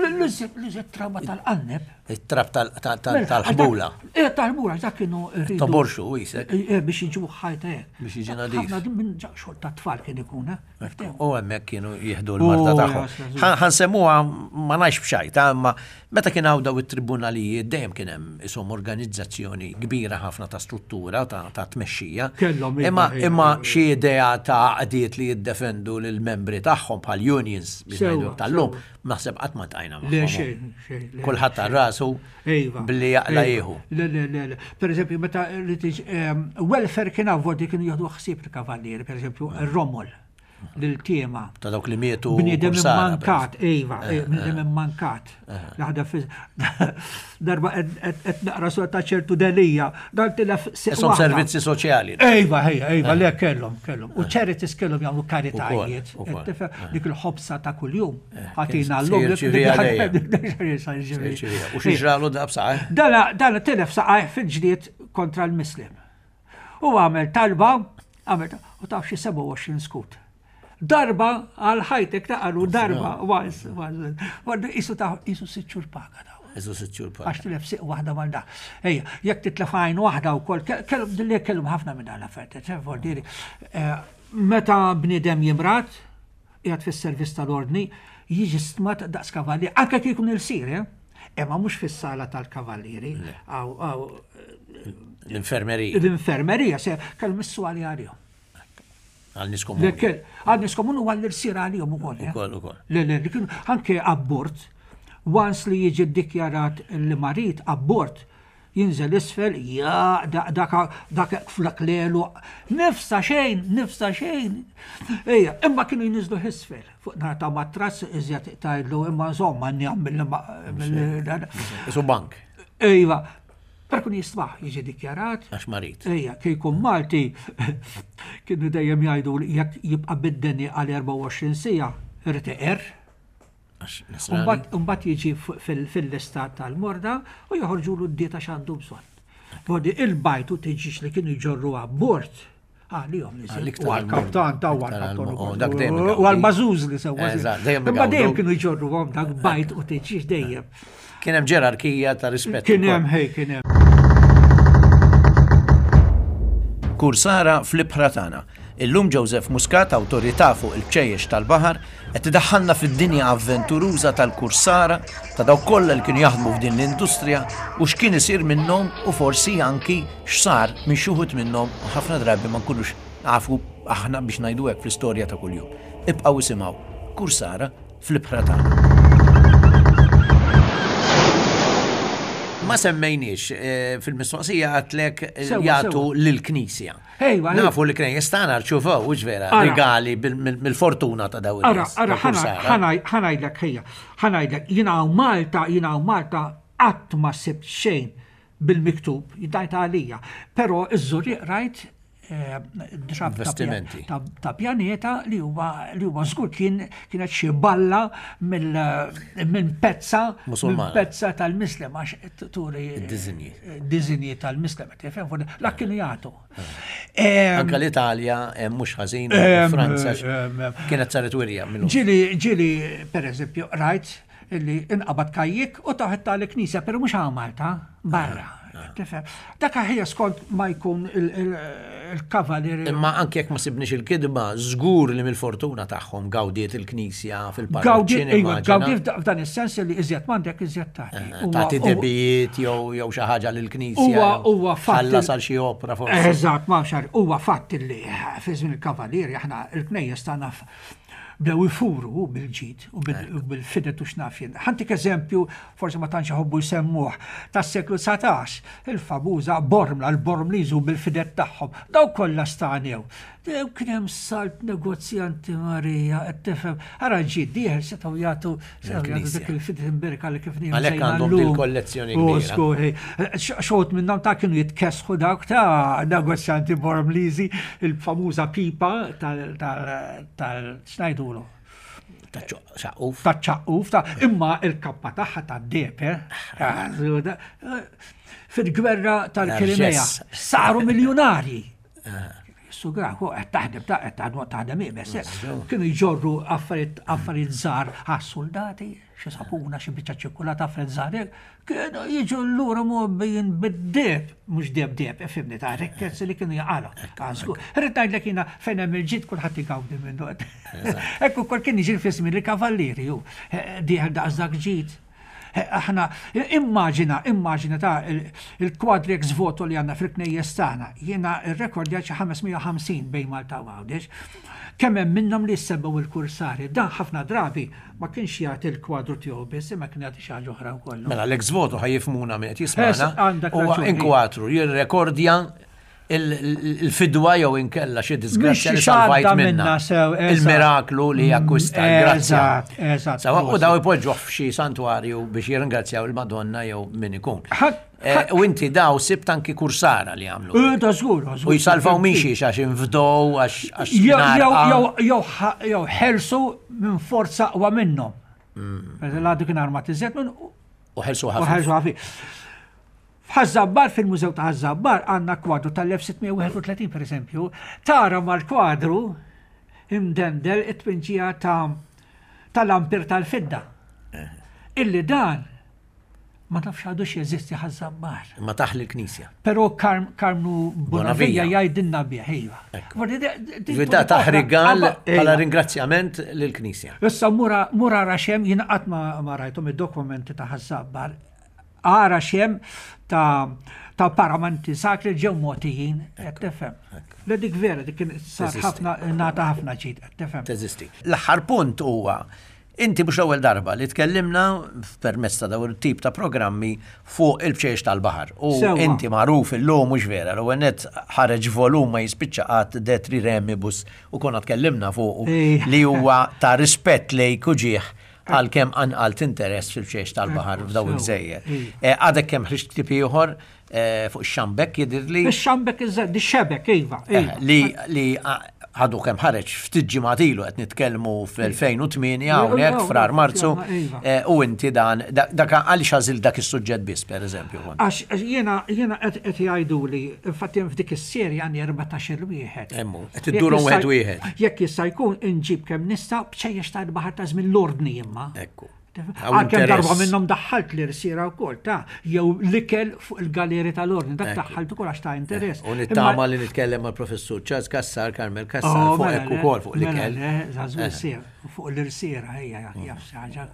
L-iżjed traba tal-qanneb. It-trab mela, tal-ħbula. Eh, tal-ħbula, dak kienu. Toborxu, jisek. Eh, eh, biex jiġu ħajta hekk. Biex jiġi nadif. Ħafna minn xogħol ta' tfal kien ikun, eh? U hemmhekk kienu jieħdu l-marda oh, tagħhom. Ħansemmuha ma ngħix b'xajta, imma meta kien hawn daw it-tribunalijiet dejjem kien hemm ishom organizzazzjoni kbira ħafna ta' struttura ta' tmexxija. Kellhom Imma imma xi idea ta' għaqdiet li jiddefendu lill-membri tagħhom bħal unions biex ngħidu tal-lum Naħseb qatt ma ltqajna magħhom. Le xejn, xejn. Kulħadd għal rasu billi jaqla jieħu. Le, le, le, le. Per eżempju, meta ehm, welfare kien avvodi kienu jieħdu ħsieb il-kavallieri, per eżempju, ir-romol lil-tiema. Ta' dawk li mietu. Bniedem immankat, iva, eh, eh, bniedem eh. immankat. Laħda fi darba qed naqra sor ta' ċertu delija, dan tilef Isom servizzi soċjali. Ejva, ejva, ejva, le kellhom, kellhom. U charities kellhom jagħmlu karitajiet. Dik il-ħobsa ta' kuljum. Ħatina l-lum. U xi ġralu dab saqaj? Dana tilef saqaj fil-ġlied kontra l-Muslim. U għamel talba, għamel, u taf xi 27 skut. Darba għal ħajtek ta' qalu darba, once, once. Isu ta' isu sitt xhur paga daw. Isu sitt xhur paga. Għax tilef siq waħda mal da. Ejja, jekk titlef għajn waħda wkoll, kellhom dilli kellhom ħafna minn dan l-affarijiet, eh, vuol dire, eh, meta bniedem jimrad, qiegħed fis-servizz tal-ordni, jiġi stmat daqs kavallier, anke kif ikun ilsir, eh? Imma mhux fis-sala tal-kavallieri. L-infermerija. L-infermerija, se kellhom is-swali għalihom. Għal nies komuni. Għal nies komuni u għall-irsir għalihom ukoll. Eh? Ukoll, ukoll. Le, le, kienu anke abbord, once li jiġi ddikjarat li marid abbord, jinżel isfel, ja, dak dak flak lelu, nifsa xejn, nifsa xejn. Ejja, imma kienu jinżlu isfel, fuq nar ta' matras iżjed tgħidlu imma insomma njam mill Isu bank. Ejva, Per kun jistbaħ jiġi dikjarat. Għax marid. Ejja, kieku Malti kienu dejjem jgħidu li jekk jibqa' bid-deni għal 24 siegħa irid iqerr. Mbagħad jiġi fil-lista tal-morda u joħorġulu d-dieta x'għandu bżonn. Bodi il-bajt u tiġix li kienu jġorru abbord għalihom li U għal-kaptan ta' u għal-kaptan. U għal-mażuż li sewa. Imma dejjem kienu jġorruhom dak bajt u tiġix dejjem. Kien hemm ġerarkija ta' rispett. Kien hemm ħej, kien hemm. Kursara fl-ibħra tagħna. Illum Joseph Muscat, awtorità fuq il-bċejjex tal-baħar, qed idaħħalna fid-dinja avventuruża tal-kursara, ta' dawk kollha li kienu jaħdmu f'din l-industrija u x'kien isir minnhom u forsi anki x'sar minn xi wħud minnhom u ħafna drabi ma nkunux nafu aħna biex ngħidu hekk fl-istorja ta' kuljum. Ibqgħu isimgħu Kursara fl-ibħra tagħna. Ma semmejniex eh, fil-mistoqsija għatlek eh, jagħtu lill-Knisja. Nafu li knejjes tagħna rċuvaw, hux vera, rigali mill-fortuna ta' dawn. Ara, ara, ħanajdlek ħejja, ħanajdlek, jiena Malta, jiena Malta. Qatt ma sibt xejn bil-miktub, ngħid għalija. Però iż-Żurrieq rajt eh, drab ta' pjaneta li huwa li huwa żgur kien kienet xi balla minn pezza minn pezza tal-mislem għax turi diżinji diżinji tal-mislem tifhem la kienu jagħtu. Anka l-Italja mhux ħażin, Franza kienet saret wirja minnu. Ġieli ġieli pereżempju rajt illi inqabad kajjik u taħt tal-knisja, pero mhux hawn Malta, barra. Ah. Tifhem? Dak ħija skont ma jkun il-kavalier. Imma anke jekk ma sibniex il-kidba, żgur li mill-fortuna tagħhom gawdiet il-knisja fil-parroċċi. Iva, gawdiet f'dan is-sens li iżjed m'għandek iżjed tagħti. Eh, tagħti debijiet jew jew xi ħaġa lill-knisja. Huwa huwa fatt. Ħallas għal xi opra forsi. Eżatt, ma xar, huwa fatt li fi żmien il-kavalieri aħna il-knejjes tagħna bdew ifuru bil-ġid u bil-fidet u x'naf jien. Ħantik eżempju, forsi ma tantx iħobbu jsemmuh, tas-seklu 19, il-famuża Bormla, l-Bormliż u bil-fidet tagħhom. Daw kollha stanew. Kien hemm salt negozjanti Marija, qed tifhem. Ara ġid dieħel setgħu jagħtu setgħu jagħtu dik il-fidet imberka li kif niegħu. Għalhekk għandhom din kollezzjoni kbira. Xogħod minnhom ta' kienu jitkessħu dawk ta' negozjanti Bormliżi, il-famuża pipa tal tal x'ngħidulu? Ta' ċaqquf. Ta' ċaqquf, ta' imma il-kappa tagħha ta' deb, eh? Fil-gwerra tal-Krimea saru miljonarji. Sugra, qed taħdem ta' qed taħdem taħdem ibes. Eh? Kienu jġorru affarijiet affarijiet żgħar għas-soldati, xi sapuna, xi biċċa ċikkulata affarijiet żgħar, Kienu jiġu lura mgħobbijin bid-deheb, mhux deheb deheb, ifhimni, ta' rikkezzi li kienu jaqalgħu. Żgur. Irrid ngħidlek jiena fejn hemm il-ġid kulħadd igawdi minnu. Hekk ukoll kien jiġri fi żmien il-kavallieri hu. Dieħel daqs dak ġid. Aħna, immaġina, immaġina ta' il-kwadri ex voto li għandna fil-knejjes tagħna. Jiena rrekordjat xi 550 bejn Malta u Għawdex. Kemm hemm minnhom li jissemmew il-kursari. Dan ħafna drabi ma kienx jagħti l-kwadru tiegħu biss, imma kien jagħti xi ħaġa oħra wkoll. Mela l-ex voto ħa jifhmuna min qed jismagħna. Huwa inkwatru jirrekordja il-fidwa jew inkella xi disgrazzja li salvajt minna. Il-miraklu li jakkwista l-grazzja. Eżatt. Sawa u daw ipoġġuh f'xi santwarju biex jirringrazzjaw il-Madonna jew min ikun. Eh, u inti daw sibt anki kursara li għamlu. Eh, da żgur, U jsalvaw minn xiex għax infdow, għax. Jew ħelsu minn forza aqwa minnhom. Mm. L-għadu kien armat iżjed minn. U ħelsu ħafif. U ħelsu ħafif. F'Ħaż-Żabbar, fil-Mużew ta' Ħaż-Żabbar, għandna kwadru tal-1631 per eżempju, tara mal-kwadru imdendel it-tpinġija ta' tal-ampir tal-fidda. Eh. Illi dan Ma nafx għadux jeżisti Ħaż-Żabbar. Imma taħ lill-Knisja. Però Karmnu Bonavija jgħidilna bih, iva. Ġifieri taħ rigal bħala ringrazzjament lill-Knisja. Issa mur ara x'hemm, jien qatt ma rajthom id-dokumenti ta' Ħaż-Żabbar. Ara x'hemm ta' paramenti sakri ġew mogħtijin, qed tifhem. Le dik vera, dik kien sar ħafna ngħata ħafna ġid, qed tifhem. Teżisti. L-aħħar punt huwa Inti mhux l-ewwel darba li tkellimna permezz ta' dawn it-tip ta' programmi fuq il-bċejjeċ tal-baħar. U inti magħruf illum mhux vera, l-ewwel nett ħareġ volum ma jispiċċa qatt De Triremibus u konna tkellimna fuqu li huwa ta' rispett lejk u ġieħ għalkemm qanqalt interess fil-bċejjeċ tal-baħar f'dawn il-gżejjer. Għadek kemm ħriġt ktieb ieħor Eh, fuq ix-xambek jidhirli. Ix-xambek iż-żed, xebek, iva. Eh, iva. Li li għadu kemm ħareġ ftit ġimgħat ilu qed nitkellmu fl-2008 hawnhekk frar Marzu iva. Eh, u inti dan dak għaliex għażil dak is-suġġett biss pereżempju. Għax jiena jiena qed jgħiduli, infatti f'dik is-serja għandi 14 wieħed. Emmu, qed iddurhom wieħed wieħed. Jekk jista' jkun inġib kemm nista' bċejjex tal-baħar ta' żmien l-ordni imma. Ekku. Għalkemm darba minnhom daħħalt l-irsiera wkoll ta' jew l-ikel fuq il-galeri tal-ordni, dak daħħalt ukoll għax ta' interess. U nittama li nitkellem mal-professur Charles Cassar, Carmel Cassar, oh, fuq mela hekk ukoll fuq mela l-ikel. Żagħżugħ eh. fuq l-irsiera hija jaf xi ħaġa.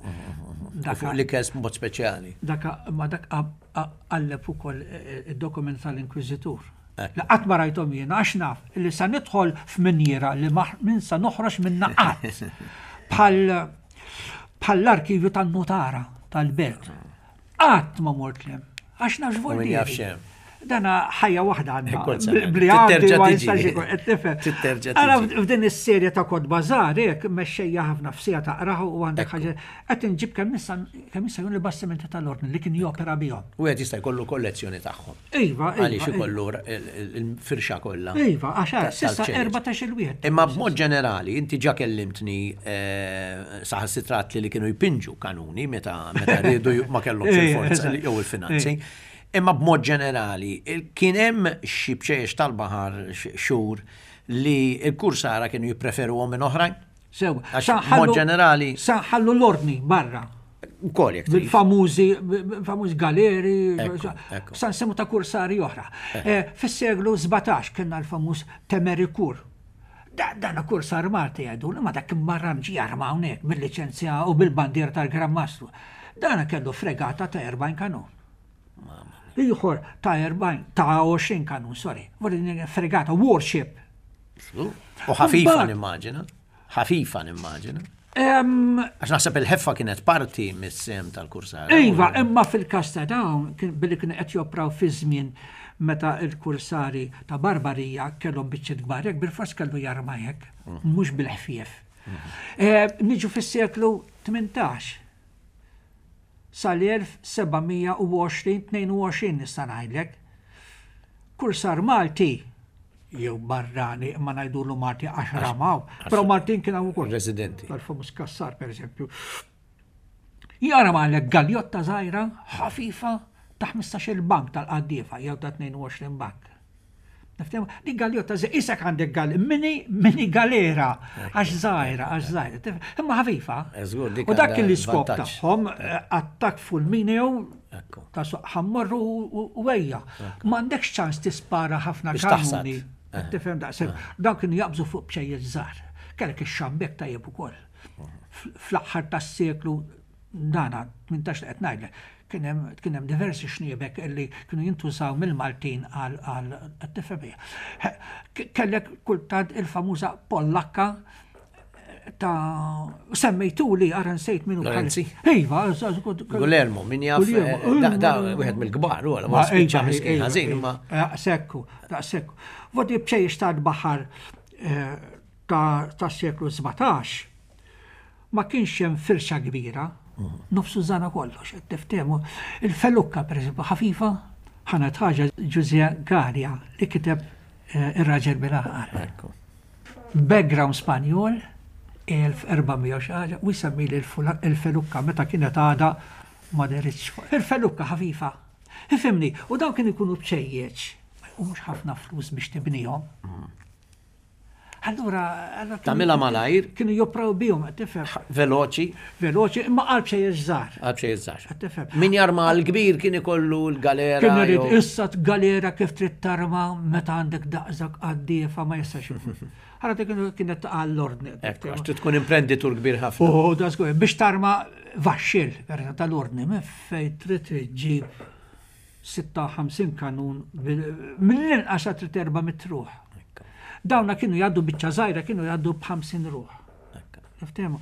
Fuq l-ikel b'mod speċjali. Dak ma dak qalleb ukoll eh, id-dokument tal-Inkwiżitur. Li qatt ma rajthom jiena għax naf li sa nidħol f'minjiera li minn sa noħroġ minna qatt. Bħal bħall-arkivju tan-nutara tal-belt. Qatt ma mort lem, għax naf x'voldieri. Dana ħajja waħda għandna. Bli għandi ma jistax ikun qed tifhem. Titterġa' Ara f'din is-serje ta' kotba żgħar hekk mexxejja ħafna f'sija taqraħu u għandek ħaġa qed inġib kemm issa kemm issa jkun il-bastimenti tal-ordni li kien jopera bihom. Wieħed jista' jkollu kollezzjoni tagħhom. Iva, iva. Għaliex ikollu il-firxa kollha. Iva, għax s'issa 14 il wieħed. Imma b'mod ġenerali, inti ġa kellimtni eh, saħansitra li kienu jpinġu kanuni meta meta riedu ma kellhomx il-forza jew il-finanzi. Imma b'mod ġenerali, kien hemm xi bċejjex tal-baħar xhur li l-kursara kienu jippreferuhom minn oħrajn? Sew, b'mod ġenerali. Sa nħallu l-ordni barra. Ukoll jekk trid. Bil-famużi, famuż galeri, sa nsemmu ta' kursari oħra. Eh. Fis-seklu 17 kellna l-famuż Temerikur. Dan kursar Malti jgħidu, ma dak kien barra ġie jarma hawnhekk bil-liċenzja u bil-bandiera tal-Gran Mastru. Dan kellu fregata ta' 40 kanun. Ieħor ta' 40, ta' 20 kanun, sorry. Fregata, warship. U ħafifa nimmaġina. Ħafifa nimmaġina. Għax naħseb il-ħeffa kienet parti mis-sem tal-kursara. Iva, imma fil-każ ta' dawn, billi kienu qed jopraw fi żmien meta l-kursari ta' Barbarija kellhom biċċiet kbar hekk, bil-fors kellu jarma hekk, mm. mhux bil-ħfief. Mm. Eh, niġu fis-seklu 18. Sal-1720, 22 nista' ngħidlek. Kursar Malti jew barrani imma ngħidulu Malti għax ramaw, però Maltin kien hawn ukoll. Residenti. Tal-famuż Kassar pereżempju. Jara għalek galjotta żgħira ħafifa ta' 15-il bank tal-qaddiefa jew ta' 22 bank. Niftem, di galjotta isek għandek gal, mini, mini galera, għax zaħira, għax zaħira, imma ħafifa. Eh, u dak kien l-iskop tagħhom, eh, attak fulmineu, ta' ħammorru u ejja. M'għandekx ċans tispara ħafna kanuni. Eh. Tifhem daqshekk. Dawn kienu jaqbżu fuq bċejjeċ żgħar. Kellek ix-xambek tajjeb ukoll. Fl-aħħar tas-seklu dana 18 li qed ngħidlek, kien hemm kien hemm diversi xniebek li kienu jintużaw mill-Maltin għal għal tifhem Kellek kultant il-famuża Pollakka ta' semmejtuli ara nsejt minnu. Lorenzi? Iva, Gulermo, min jaf, eh, da wieħed mill-kbar, u għala, ma spiċċa miskin ħażin, imma. Eh, sekku, da sekku. Vodi bċejjex tal-baħar eh, ta' seklu 17 Ma kienx hemm firxa kbira, nofs użana kollox, qed tiftehmu. Il-felukka, pereżempju, ħafifa, ħa ngħid ħaġa, Ġużè Galea li kiteb eh, Ir-Raġel bil-Għaqal. Background Spanjol, 1400 xi ħaġa, u jsemmili l-felukka meta kienet għadha ma deritx. Il-felukka ħafifa. Ifhimni, u dawn kienu jkunu bċejjeċ, ma jqumux ħafna flus biex tibnihom. Allura, allura Tagħmilha malajr. Kienu jopraw bihom, qed tifhem. Veloċi. Veloċi, imma qalb xejn żgħar. Qalb xejn żgħar. Qed tifhem. Min jarma l-kbir kien ikollu l-galera. Kien irid issa galera kif trid tarma meta għandek daqshekk qaddiefa ma jistax ikun. Allura dik kienet taqa' l-ordni. Ekku, għax trid tkun imprenditur kbir ħafna. U da żgur, biex tarma vaxxil, tal-ordni, minn fejn trid iġġib 56 kanun mill-inqas għad trid 400 ruħ. Dawna kienu jgħaddu biċċa żgħira kienu jgħaddu b'50 ruħ. Niftehmu.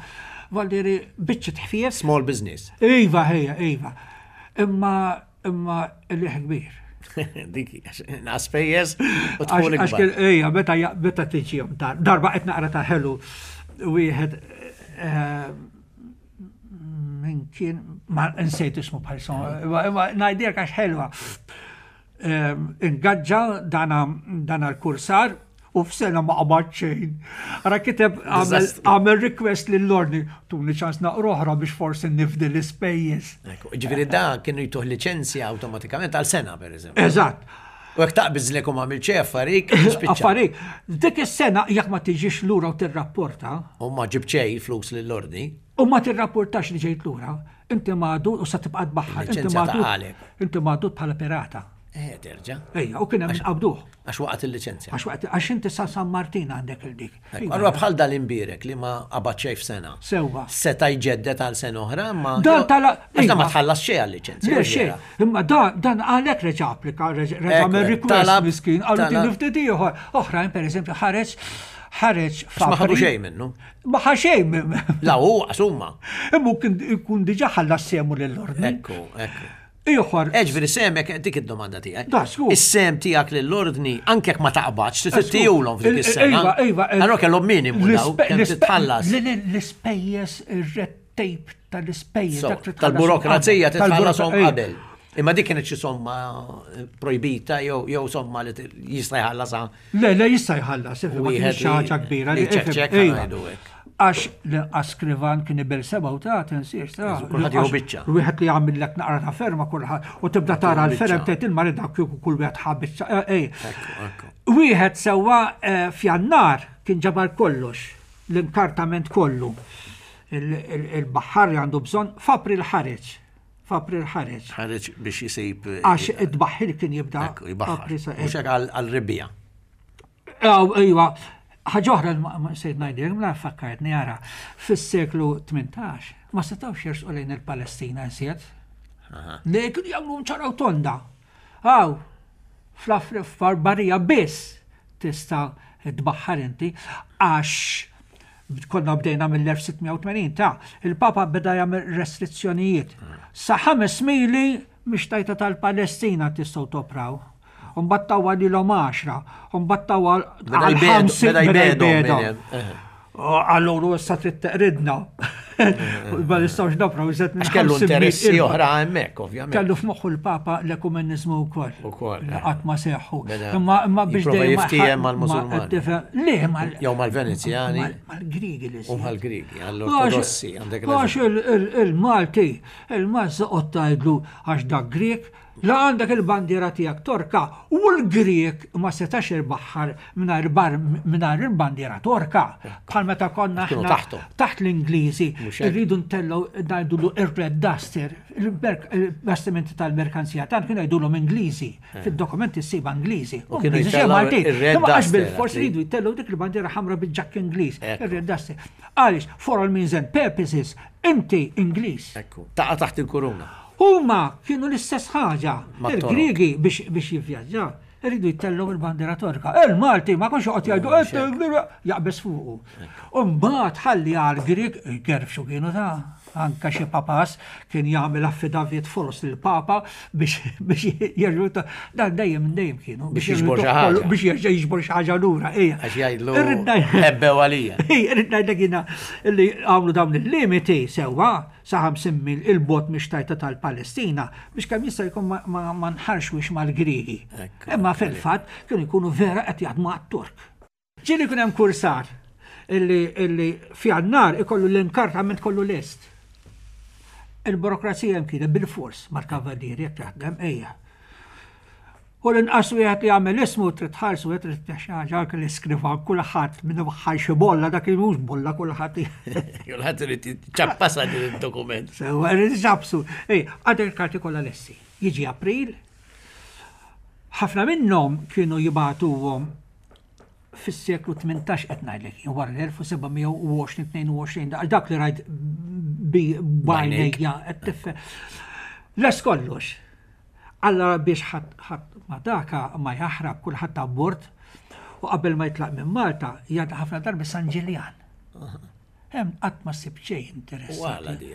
Valdiri biċċa tħfief. Small business. Iva, ejja, iva. Imma imma il-liħ kbir. Dik, naqas pejjeż u tħul ikbar. Ejja, meta meta tiġihom darba qed naqra ta' ħelu wieħed eh, Min kien, ma nsejt ismu bħalissa, imma ngħidilek għax ħelwa. Ehm, ingaġġa dana l-kursar u f'sena ma qabad xejn. Ara kiteb għamel request lill-ordni, tuni ċans naqra oħra biex forsi nifdi l-ispejjeż. Ġifieri da kienu jtuh liċenzja awtomatikament għal sena pereżempju. Eżatt. U jekk taqbiżlek u m'għamilt xejn affarik, spiċċa. Affarik. Dik is-sena jekk ma tiġix lura u tirrapporta. U ma ġibt xejn flus lill-ordni. U ma tirrapportax li ġejt lura, inti magħdud u sa tibqa' tbaħħar. Inti magħdud. Inti magħdud bħala pirata. Eh, terġa'. Ejja, u kien hemm qabduh. Għax waqgħet il-liċenzja. Għax waqgħet, għax inti sa San Martin għandek il-dik. Allura bħal dal-imbierek li ma qabad xejn f'sena. Sewwa. Seta' jġedded għal sena oħra, imma. Dan tala. Għax dan ma tħallas xejn għal-liċenzja. Le xejn. Imma dan dan għalhekk reġa' applika, reġa' għamel request miskin, qalu tieni ftit ieħor. Oħrajn pereżempju ħareġ ħareġ Ma ħadu xejn minnu. Ma ħa xejn minnu. La hu għax huma. Imma kien ikun diġà ħallas sehmu lill-ordni. Ekku, ekku. Ieħor. Ġifieri semek dik id-domanda tiegħi. Da, żgur. Is-sehem tiegħek lill-ordni anke jekk ma taqbadx trid ittihulhom f'dik is-sena. Iva, iva. Allura kellhom minimu daw kemm titħallas. L-ispejjeż ir-red tape tal-ispejjeż. Tal-burokrazija titħallasom qabel. Imma dik kienet xi somma projbita jew somma li jista' jħallasha. Le, le jista' jħallas, wieħed xi ħaġa kbira li ċekċek ngħidu hekk. Għax l-inqas skrivan kien ibel seba' u ta' tinsiex ta' Kulħadd jieħu biċċa. Wieħed li jagħmillek naqra ta' ferma kulħadd u tibda tara l-ferem tgħid il-mari dak kieku kull wieħed ħa biċċa. Eh, eh. Wieħed sewwa eh, f'Jannar kien ġabar kollox, l-inkartament kollu. Il-baħħar għandu bżonn f'April ħareġ. F'April ħareġ. Ħareġ biex jisib. Għax id-baħħir kien jibda. Mhux hekk għal-rebbija. Iva, ħaġa oħra ma sejt ngħidilek, mela fakkartni ara, fis-seklu 18 ma setgħux jersqu lejn il-Palestina iżjed. Li kienu jagħmlu ċara u tonda. Aw, fl-barbarija biss tista' tbaħħar inti għax konna bdejna mill-1680 ta' il-Papa beda jagħmel restrizzjonijiet. Sa ħames mili mix-xtajta tal-Palestina tistgħu topraw. U mbagħad tawha lilhom għaxra, u mbagħad tawha għal 50 beda jbegħdhom. Allura issa trid teqridna. Ma nistgħux napraw iżed minn kellu interessi oħra hemmhekk, ovvjament. Kellu f'moħħu l-Papa l-ekumeniżmu wkoll. Ukoll. Qatt ma seħħu. Imma imma biex dejjem jiftiehem mal-Musulmani. Le, mal Jew mal-Venezjani. Mal-Grigi li. U mal-Grigi, għall-Ortodossi għandek. Għax il-Malti, il-Malti qod tgħidlu għax dak Grek, La għandek il-bandiera tiegħek Torka u l-Grieg ma setax ibaħħar mingħajr il-bandiera Torka. Bħal meta konna aħna taħt l-Ingliżi rridu ntellgħu ngħidulu ir-Red Duster, il-bastimenti tal-merkanzija tagħna kienu jgħidulhom Ingliżi. Eh. Fid-dokumenti ssib Ingliżi. U kienu jtellgħu ir-Red Duster. Bil-fors ridu jtellgħu dik il-bandiera ħamra bil-ġakk Ingliż, ir-Red Duster. Għaliex, for all means and purposes, inti Ingliż. Ekku, taqa' taħt il-kuruna. Huma kienu l-istess ħaġa. Il-Griegi biex biex jivvjaġġaw iridu jtellgħu il-bandiera Torka. Il-Malti ma kienx joqgħod jgħidu jaqbeż fuqu. U mbagħad ħalli għall-Grieg gerfxu kienu ta' anka xi papas kien jagħmel affidavit foloz lill-Papa biex biex jerġgħu dan dejjem minn dejjem kienu biex jiġbor xi ħaġa. Biex jerġa' jiġbor xi ħaġa lura. Għax jgħidlu ħebbew għalija. Irrid ngħidlek jiena li għamlu dawn il-limiti sewwa sa 50 mil 'il bogħod mix-xtajta tal-Palestina biex kemm jista' jkun ma nħarxwix mal-Griegi. Imma fil-fatt kienu jkunu vera qed jaħdmu għat-Tork. Ġieli jkun hemm kursar illi f'Jannar ikollu l-inkartament kollu lest. Il-burokrazija hemm kienet bilfors mal-kavallieri jekk taħdem ejja. U l-inqas wieħed li jagħmel ismu trid tħarsu wieħed trid tih xi ħaġa anke l-iskrivan kulħadd minn waħħal xi bolla dak li mhux bolla kulħadd. Kulħadd irid ċappasa din id-dokument. Sewwa irid iċappsu. Ej, għadek il-karti kollha lesti. Jiġi April, ħafna minnhom kienu jibagħtuhom fis-seklu 18 qed ngħidlek, wara l-1720 22 dak li rajt bi bajnejja qed tifhem. Les kollox. Allora biex ħadd ma daka ma jaħrab kulħadd abbord u qabel ma jitlaq minn Malta jgħaddi ħafna darbi San Ġiljan. Hemm qatt ma ssib xejn interessanti.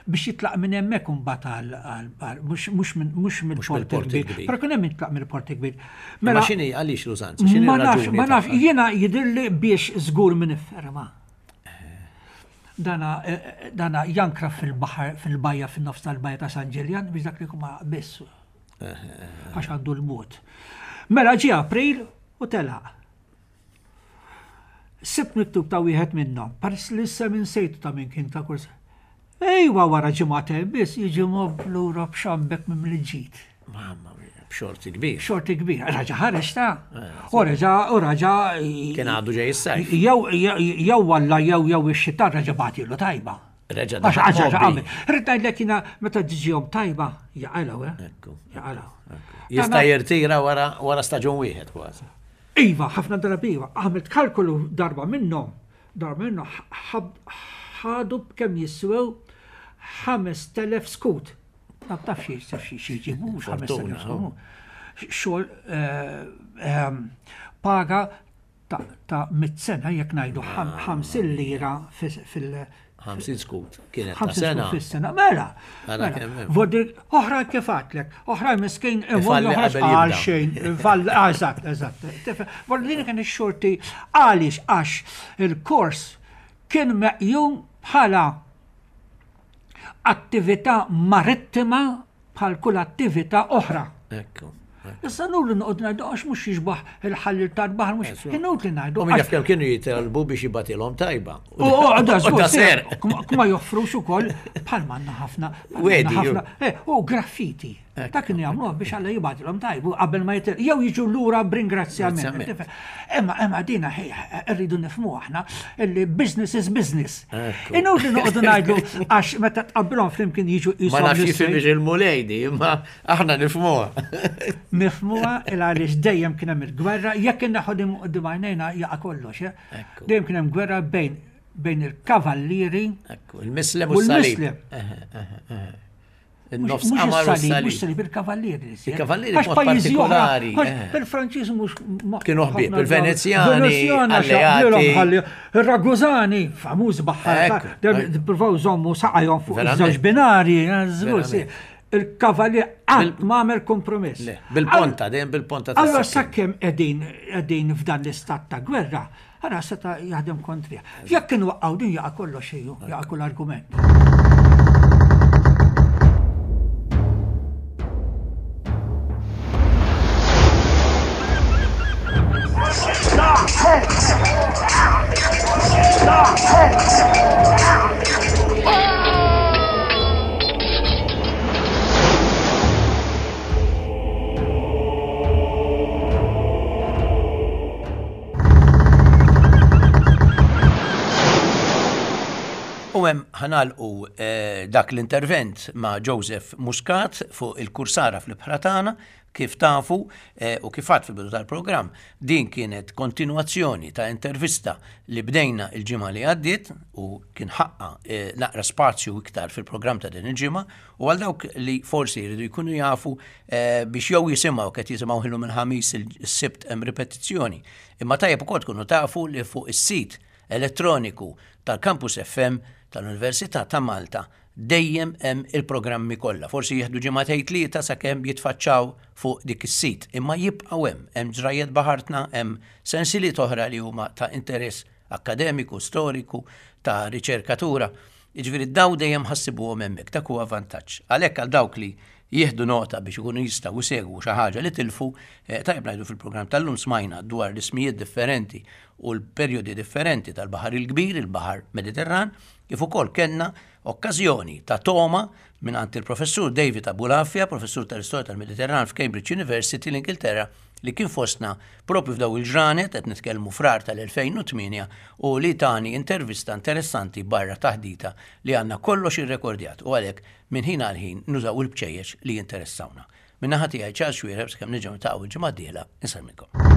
Biex jitlaq minn hemmhekk imbagħad għal mhux mill-port il-kbir. Però kien hemm jitlaq mill-port il-kbir. Mela x'inhi għaliex l-użanza? X'inhi raġuni? Ma nafx, jiena jidhirli biex żgur minn ifferma. Dana dana jankra fil-baħar fil-bajja fin-nofs tal-bajja ta' San Ġiljan biex dak li jkun ma biss. Għax għandu l-mod. Mela ġie April u telaq. Sibt miktub ta' wieħed minnhom, peress li issa minn sejtu ta' min kien ta' kurs. Ejwa wara ġimagħtejn biss jiġi mobb lura b'xambek mimli ġid. Mamma mia, b'xorti kbir. Xorti kbir, raġa ħareġ ta' eh, u reġa u raġa. Kien għadu ġej is-sajf. Jew jew walla jew jew ix-xita raġa bagħtilu tajba. Reġa' Għax għax għamel. Rrid ngħidlek jiena meta tiġihom tajba jaqalgħu, eh? Ekku. Jaqalgħu. Jista' jirtira wara wara staġun wieħed kważi. Iva, ħafna drabi iva. Għamilt kalkolu darba minnhom, darba minnhom ħadu b'kemm jiswew 5000 skut. Ma taf xi xi xi jġibu mhux 5000 skut. Xogħol eh, ehm, paga ta' mit sena jekk ngħidu 50 lira fil- 50 skut kienet ta' sena. Fis-sena, mela. mela. Vodir, oħra kif għatlek, oħra miskin imur joħroġ għal xejn, eżatt, eżatt. Vodir kien ix-xorti għaliex għax il-kors kien meqjum bħala attività marittima bħal kull attività oħra. Ekku. Issa nur li noqgħod ngħidu għax mhux jixbaħ il-ħalli tal-baħar mhux inutli ngħidu. U min jaf kemm kienu jitalbu biex jibatilhom tajba. U għada żgur. Ma joffrux ukoll bħal manna ħafna. Wedi. Eh, u graffiti. Dak kienu jagħmluh biex Alla jibgħatilhom tajbu qabel ma jitil jew jiġu lura b'ringrazzjament. Imma imma dina rridu nifhmu aħna li business is business. Inutli noqogħdu ngħidu għax meta tqabbilhom flimkien jiġu qishom. Ma nafx jifhimx il-mulejdi, imma aħna nifhmuha. Nifhmuha il għaliex dejjem kien hemm il-gwerra, jekk inneħħu din quddiem għajnejna jaqa' kollox. Eh? Dejjem kien hemm gwerra bejn bejn il-kavallieri il-mislem u s-salib. Il-nofs qamar u s-salib. Mhux salib, il-kavallieri. Il-kavallieri b'mod partikolari. Eh. Il-Franċiż mhux. Kienu ħbieb, il-Venezjani, alleati. Il-Ragusani, famuż baħħar. Provaw żommu saqajhom fuq iż-żewġ binari, eh, il-kavallier qatt ma għamel kompromess. Bil-ponta, dejjem bil-ponta. Allora sakemm qegħdin f'dan l-istat ta' gwerra, Ara seta' jaħdem kontrih. Jekk inwaqqgħu din jaqa' kollox ejju, jaqa' kull argument. U hemm ħanalqu eh, dak l-intervent ma' Joseph Muscat fuq il-kursara fl-ibħra tagħna kif tafu eh, u kif għad fil-bidu tal-programm, din kienet kontinwazzjoni ta' intervista li bdejna il-ġimgħa li għaddiet u kien ħaqqa eh, naqra spazju iktar fil-programm ta' din il-ġimgħa u għal dawk li forsi jridu jkunu jafu eh, biex jew jisimgħu qed jisimgħu ħilu minn ħamis il-sibt hemm ripetizzjoni. Imma tajjeb ukoll tkunu tafu li fuq is-sit elettroniku tal-Campus FM tal-Università ta' Malta dejjem hemm il-programmi kollha. Forsi jieħdu ġimgħatejn tlieta sakemm jitfaċċaw fuq dik is-sit, imma jibqgħu hemm. Hemm ġrajjet baħartna, hemm sensiliet oħra li huma ta' interess akkademiku, storiku, ta' riċerkatura. Jiġifieri daw dejjem ħassibuhom hemmhekk, dak huwa vantaġġ. Għalhekk għal dawk li jieħdu nota biex ikunu jistgħu jsegwu xi ħaġa li tilfu, eh, tajjeb ngħidu fil-programm tal-lum smajna dwar l-ismijiet differenti u l-perjodi differenti tal-Baħar il-Kbir, il-Baħar Mediterran, kif ukoll kellna okkażjoni ta' toma mingħand il-Professur David Abulafia, professur tal-Istorja tal-Mediterran f'Cambridge University l-Ingilterra, li kien fostna propju f'daw il-ġranet qed nitkellmu frar tal-2008 u li tani intervista interessanti barra taħdita li għandna kollox irrekordjat u għalhekk minn ħin għal ħin nużaw il-bċejjeċ li jinteressawna. Min-naħa tiegħi Charles Xuereb sakemm nerġgħu niltaqgħu il-ġimgħa d-dieħla insellmilkom.